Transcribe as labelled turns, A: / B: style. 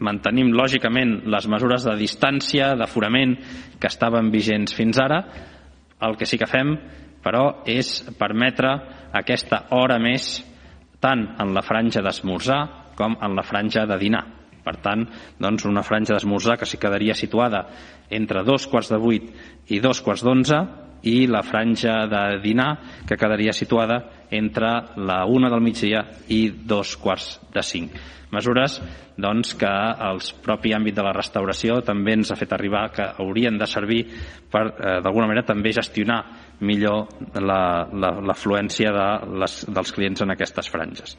A: mantenim lògicament les mesures de distància, d'aforament que estaven vigents fins ara. El que sí que fem, però, és permetre aquesta hora més tant en la franja d'esmorzar com en la franja de dinar. Per tant, doncs, una franja d'esmorzar que s'hi quedaria situada entre 7:45 i 11:45 i la franja de dinar que quedaria situada entre la 1 del migdia i 4:45. Mesures doncs, que el propi àmbit de la restauració també ens ha fet arribar que haurien de servir per, d'alguna manera, també gestionar millor l'afluència dels clients en aquestes franges.